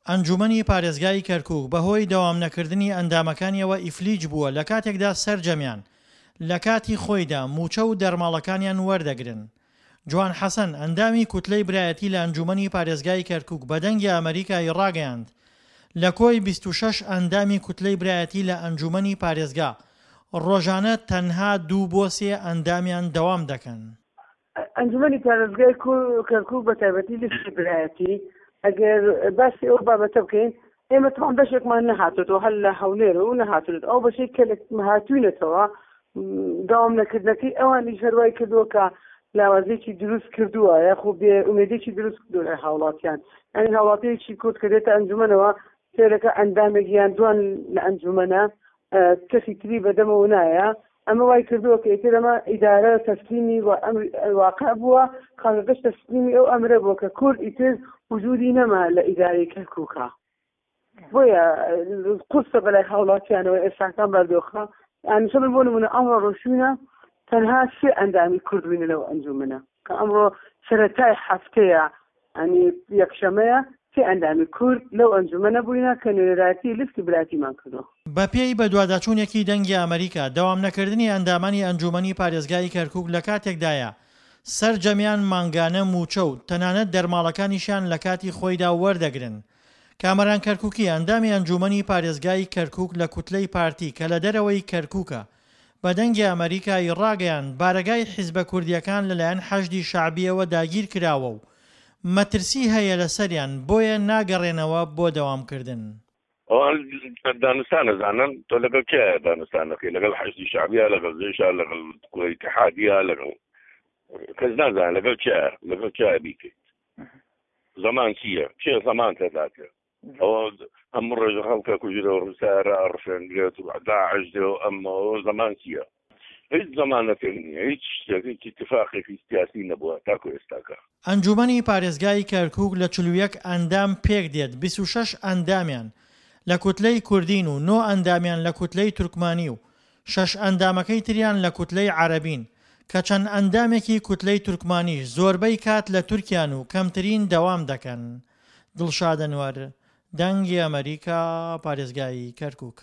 ئەنجومەنی پارێزگای کەرکوک بەهۆی دەوام نەکردنی ئەندامەکانیەوە ئیفلیج بووە لەکاتێکدا سەرجەمیان لەکاتی خۆیدا مووچە و دەرماڵەکانیان وەردەگرن. جوان حەسەن، ئەندامی کوتلەی برایەتی لە ئەنجومەنی پارێزگای کەرکوک بە دەنگی ئەمەریکای ڕاگەیاند، لە کۆی 26 ئەندامی کوتلەی برایەتی لە ئەنجومەنی پارێزگا، ڕۆژانە تەنها دوو بۆ سێ ئەندامیان دەوام دەکەن. ئەنجومەنی پارێزگای کەرکوک بە تایبەتی لیستی برایەتی ئەگەر باسی ئەو بابەتە بکەین ئێمە تەوان بەشێکمان نەهاتۆتەوە هەر لە هەولێر و نەهاتوونێت ئەو بەشێک کە هاتوینەتەوە داوام نەکردنەکەی ئەوانیش هەروای کردووە کە لاوازێکی دروست کردووە یاخۆ بێ ئومێدێکی دروست کردووە لای هاوڵاتیان یعنی هاوڵاتیەکی کورد کە دێتە ئەنجومەنەوە سێرەکە ئەندامێک یان دوان لە ئەنجومەنە کەسی تری بەدەمەوە نایە ئەمە وای کردووە کە ئیتر ئەمە ئیدارە تەسلیمی و واقع بووە خەڵکەکەش تەسلیمی ئەو ئەمرە بووە کە کورد ئیتر وجودی نەما لە ئیدارەی کەرکووکە بۆیە قورسە بەلای هاوڵاتیانەوە ئێستاکان بەردۆخە ئەنیشە من بۆ نمونە ئەمڕۆ ڕۆشوینە تەنها سێ ئەندامی کورد بووینە لەو ئەنجومەنە کە ئەمڕۆ سەرەتای هەفتەیە ئەنی یەکشەمەیە سێ ئەندامی کورد لەو ئەنجومەنە بووینە کە نوێنەرایەتی لیستی براتیمان کردووە. بەپێی بەدواداچوونێکی دەنگی ئەمەریکا، دەوام نەکردنی ئەندامانی ئەنجوومەنی پارێزگای کەرکوک لەکاتێکدایە سەرجەمیان مانگانە مووچە و تەنانەت دەرماڵەکانیشیان لەکاتی خۆیدا وەردەگرن. کامەران کەرکوکی، ئەندامی ئەنجوومەنی پارێزگای کەرکوک لە کوتلەی پارتی کە لە دەرەوەی کەرکوکە، بە دەنگی ئەمەریکا ی ڕاگەیاند، بارەگای حیزبە کوردییەکان لەلایەن حەشدی شەعبییەوە داگیرکراوە و مەترسی هەیە لەسەریان بۆیە ناگەڕێنەوە بۆ دەوامکردن. ئەوان دانوستان ئەزانن، تۆ لەگەڵ کێ دانوستان دەکەی؟ لەگەڵ حەشدی شەعبیە، لەگەڵ جەیشە، لەگەڵ ئیتیحادیە، لەگەڵ کەس نازانێت لەگەڵ کێ لەگەڵ کێ بیکەیت. زەمان چییە؟ کێ زەمان تێداکە؟ ئەوە هەموو ڕێژە خەڵکە کوژرە و سارە ئەڕفێنرێت و داعش دێ و ئەمەوە زەمان چییە؟ هیچ زەمانەتێک نییە، هیچ شتێک، هیچ ئیتفاقێکی سیاسی نەبووە تاکو ئێستاکە. ئەنجوومەنی پارێزگای کەرکووک لە 41 ئەندام پێکدێت، 26 ئەندامیان لە کوتلەی کوردین و نۆ ئەندامیان لە کوتلەی تورکمانی و شەش ئەندامەکەی تریان لە کوتلەی عەرەبین، کە چەند ئەندامێکی کوتلەی تورکمانیش زۆربەی کات لە تورکیان و کەمترین دەوام دەکەن. دڵشاد ئەنوەر، دەنگی ئەمەریکا، پارێزگای کەرکووک.